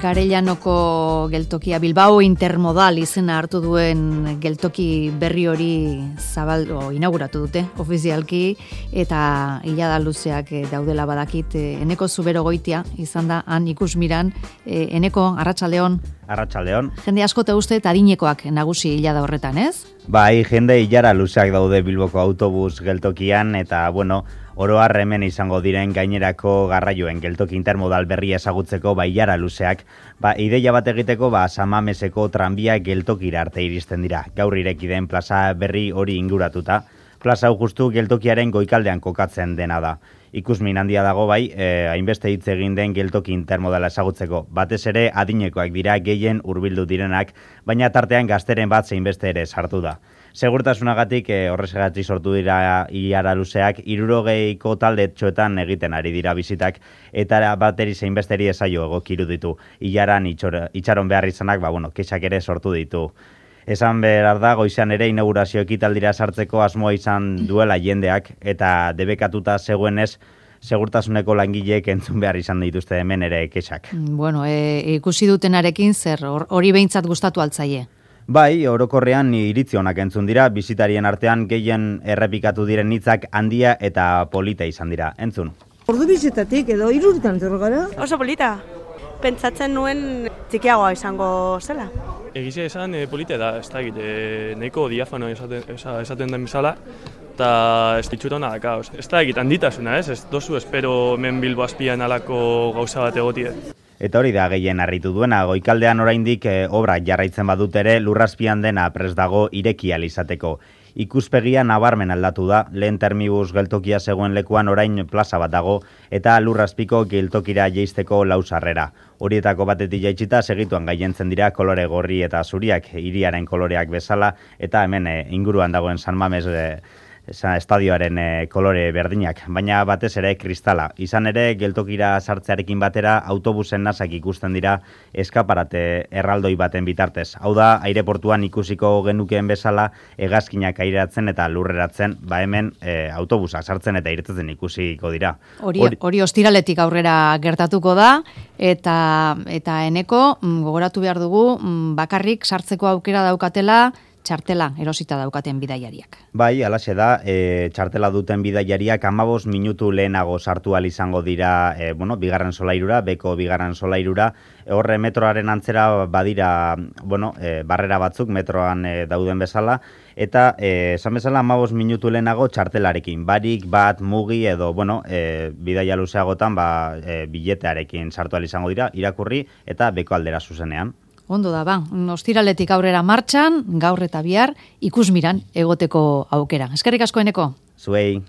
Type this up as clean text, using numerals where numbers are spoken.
Garellanoko geltokia Bilbao Intermodal izena hartu duen geltoki berri hori inauguratu dute ofizialki, eta hilada luzeak daudela badakit. Eneko Zuberogoitia izan da han ikusmiran. Eneko, arratsaldeon. Arratsaldeon. Jende asko te uste adinekoak nagusi hilada horretan, ez? Bai, jende hilara luzeak daude Bilboko autobus geltokian, eta oro har hemen izango diren gainerako garraioen geltoki intermodal berria ezagutzeko hilara luzeak, ideia bat egiteko San Mameseko tranbia geltokira arte iristen dira. Gaur ireki den plaza berri hori inguratuta. Plaza hau justu geltokiaren goikaldean kokatzen dena da. Ikusmin handia dago hainbeste hitz egin den geltoki intermodala ezagutzeko. Batez ere adinekoak dira gehien hurbildu direnak, baina tartean gazteren bat zeinbeste ere sartu da. Segurtasunagatik horrexegatik sortu dira hilara luzeak, 60ko taldetxoetan egiten ari dira bizitak, eta bateri zeinbesteri ezaio egokiru ditu. Hilaran itxaron behar izanak, kexak ere sortu ditu. Esan behar da, goizean ere inaugurazio ekitaldira sartzeko asmoa izan duela jendeak, eta debekatuta zegoenez, segurtasuneko langileek entzun behar izan dituzte hemen ere kexak. Ikusi dutenarekin zer, hori behintzat gustatu altzaie? Bai, orokorrean iritzi onak entzun dira, bizitarien artean gehien errepikatu diren hitzak handia eta polita izan dira. Entzun. Ordu bizitatik edo 3 urtetan gara? Oso polita. Pentsatzen nuen txikiagoa izango zela. Egizia esan polita da, ez da egite, nahiko diafano esaten den bezala, eta ez ditxuta hona daka. Ez da egite handitasuna, ez dozu espero hemen Bilbo azpian alako gauza bat egotie. Eta hori da gehien harritu duena, goikaldean oraindik obrak jarraitzen badut ere lurrazpian dena prest dago ireki ahal izateko. Ikuspegia nabarmen aldatu da, lehen termibus geltokia zegoen lekuan orain plaza bat dago, eta lurrazpiko geltokira jeisteko 4 sarrera. Horietako batetik jaitsita segituan gailentzen dira kolore gorri eta zuriak, hiriaren koloreak bezala, eta hemen inguruan dagoen San Mames estadioaren kolore berdinak, baina batez ere kristala. Izan ere, geltokira sartzearekin batera autobusen nasak ikusten dira eskaparate erraldoi baten bitartez. Hau da, aireportuan ikusiko genukeen bezala hegazkinak airatzen eta lurreratzen, hemen autobusak sartzen eta irtetzen ikusiko dira. Hori ostiraletik aurrera gertatuko da, eta Eneko gogoratu behar dugu bakarrik sartzeko aukera daukatela txartela erosita daukaten bidaiariak. Bai, alaxe da, txartela duten bidaiariak 15 minutu lehenago sartu ahal izango dira, bigarren solairura, beko bigarren solairura. Horre metroaren antzera badira, barrera batzuk metroan dauden bezala, eta esan bezala 15 minutu lehenago txartelarekin, barik bat mugi edo, bidaia luzeagotan biletearekin sartu ahal izango dira, irakurri eta beko aldera zuzenean. Ondo da, ostiraletik aurrera martxan, gaur eta bihar, ikusmiran egoteko aukera. Eskerrik asko, Eneko. Zuei.